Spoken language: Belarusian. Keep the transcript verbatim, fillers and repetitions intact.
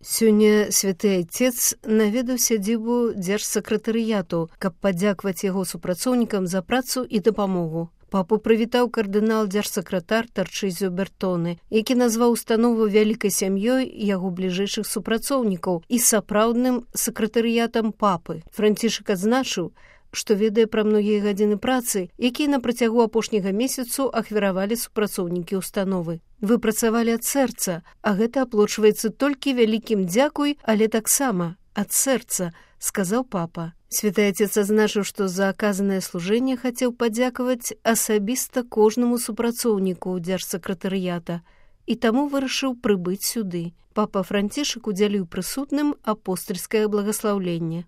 Сёння святы айцец наведаў сядзібу дзяржсакратарыяту, каб падзякаваць яго супрацоўнікам за працу і дапамогу. Папу прывітаў кардынал дзяржсакратар Тарчызіо Бертоне, які назваў установу вялікай сям'ёй яго бліжэйшых супрацоўнікаў і сапраўдным сакратарыятам папы. Францішак адзначыў, што ведае пра многія гадзіны працы, якія на працягу апошняга месяцу ахвяравалі супрацоўнікі установы. Вы працавалі ад сэрца, а гэта аплочваецца толькі вялікім дзякуй, але таксама ад сэрца, сказаў папа. Святы Айцец адзначыў, што за аказанае служэнне хацеў падзякаваць асабіста кожнаму супрацоўніку дзяржсакратарыята і таму вырашыў прыбыць сюды. Папа Францішак удзяліў прысутным апостальскае благаслаўленне.